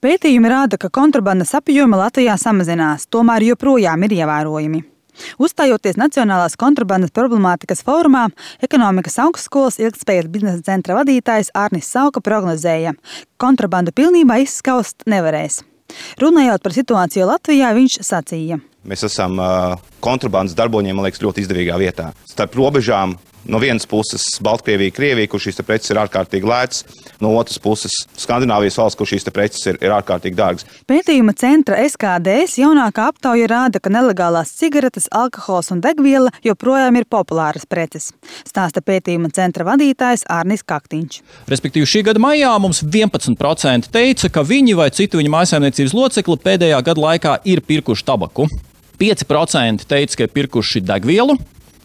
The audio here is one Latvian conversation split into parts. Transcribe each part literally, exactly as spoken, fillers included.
Pētījumi rāda, ka kontrabandas apjomi Latvijā samazinās, tomēr joprojām ir ievērojami. Uzstājoties Nacionālās kontrabandas problemātikas fórumā, Ekonomikas augstskolas ilgtspējas biznesa centra vadītājs Arnis Sauka prognozēja, ka kontrabandu pilnībā izskaust nevarēs. Runājot par situāciju Latvijā, viņš sacīja. Mēs esam uh, kontrabandas darboņiem, man liekas, ļoti izdevīgā vietā. Starp robežām no vienas puses Baltkrievija, Krievija, kur šīs preces ir ārkārtīgi lētas, no otras puses Skandināvijas valsts, kur šīs preces ir, ir ārkārtīgi dārgas. Pētījuma centra S K D S jaunākā aptauja rāda, ka nelegālās cigaretes, alkohols un degviela joprojām ir populāras preces, stāsta pētījuma centra vadītājs Arnis Kaktiņš. Respektīvi, šī gada maijā mums vienpadsmit procenti teica, ka viņi vai citu viņu mājsaimniecības locekli pēdējā gada laikā ir pirkuši tabaku. pieci procenti teica, ka ir pirkuši degvielu.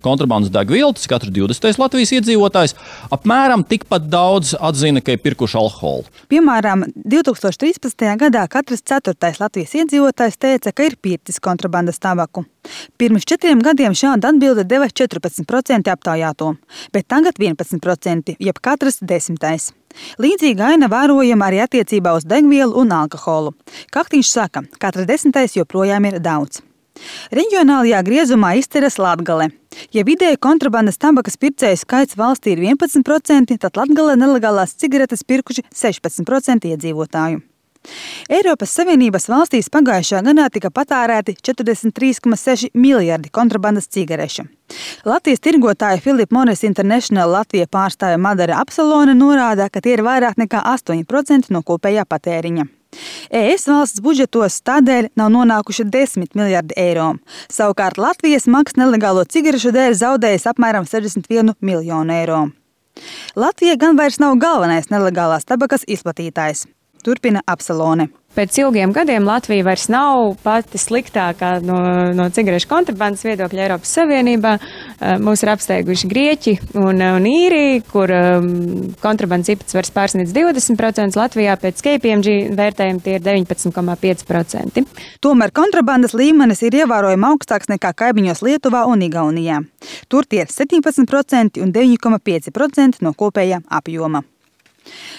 Kontrabandas degvielu, tas katrs divdesmitais Latvijas iedzīvotājs, apmēram tikpat daudz atzina, ka ir pirkuši alkoholu. Piemēram, divi tūkstoši trīspadsmitajā gadā katrs ceturtais Latvijas iedzīvotājs teica, ka ir pircis kontrabandas tabaku. Pirms četriem gadiem šāda atbilde deva četrpadsmit procenti aptaujāto, bet tagad vienpadsmit procenti, jeb katrs desmitais. Līdzīga aina vērojama arī attiecībā uz degvielu un alkoholu. Kaktiņš saka, katrs desmitais joprojām ir daudz. Reģionālajā griezumā izceras Latgale. Ja vidēji kontrabandas tabakas pircēju skaits valstī ir vienpadsmit procenti, tad Latgalē nelegālās cigaretes pirkuši sešpadsmit procenti iedzīvotāju. Eiropas Savienības valstīs pagājušā gadā tika patērēti četrdesmit trīs komats seši miljardi kontrabandas cigarešu. Latvijas tirgotāja Philip Morris International Latvija pārstāve Madara Apsalone norāda, ka tie ir vairāk nekā astoņi procenti no kopējā patēriņa. E S valsts budžetos tādēļ nav nonākuši desmit miljardi eiro. Savukārt Latvijas maks nelegālo cigarešu dēļ zaudējis apmēram sešdesmit vienu miljonu eiro. Latvija gan vairs nav galvenais nelegālās tabakas izplatītājs, turpina Apsalone. Pēc ilgiem gadiem Latvija vairs nav pati sliktākā no, no cigarešu kontrabandas viedokļa Eiropas Savienībā. Mūs ir apsteiguši Grieķi un, un Īrija, kur um, kontrabandas īpatsvars pārsniedz divdesmit procentus. Latvijā pēc K P M G vērtējuma tie ir deviņpadsmit komats pieci procenti. Tomēr kontrabandas līmenis ir ievērojami augstāks nekā kaimiņos Lietuvā un Igaunijā. Tur tie ir septiņpadsmit procenti un deviņi komats pieci procenti no kopējā apjoma.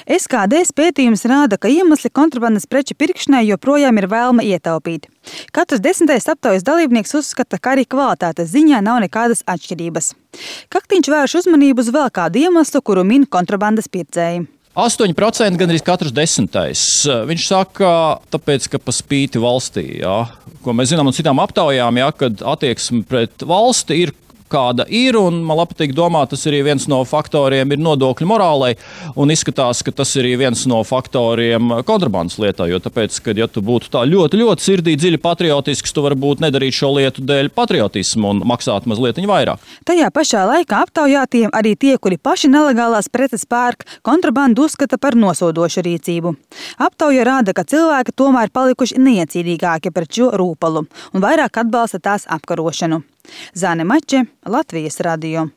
S K D S pētījums rāda, ka iemesli kontrabandas preču pirkšanai joprojām ir vēlme ietaupīt. Katrs desmitais aptaujas dalībnieks uzskata, ka arī kvalitātes ziņā nav nekādas atšķirības. Kaktiņš vērš uzmanību uz vēl kādu iemeslu, kuru min kontrabandas pircēji. astoņi procenti gan arī katrs desmitais. Viņš saka, tāpēc, ka pa spīti valstī, jā, ko mēs zinām no citām aptaujām, jā, kad attieksme pret valsti ir kāda ir, un man patīk domāt, tas arī viens no faktoriem ir nodokļu morālei, un izskatās, ka tas ir viens no faktoriem kontrabandas lietā, jo tāpēc, ka ja tu būtu tā ļoti, ļoti sirdī dziļi patriotisks, tu varbūt nedarīt šo lietu dēļ patriotismu un maksāt mazliet vairāk. Tajā pašā laikā aptaujātiem arī tie, kuri paši nelegālās preces pērk, kontrabandu uzskata par nosodošu rīcību. Aptauja rāda, ka cilvēki tomēr palikuši neiecīdīgāki pret šo rūpalu un vairāk atbalsta tās apkarošanu. Zane Mače, Latvijas radio.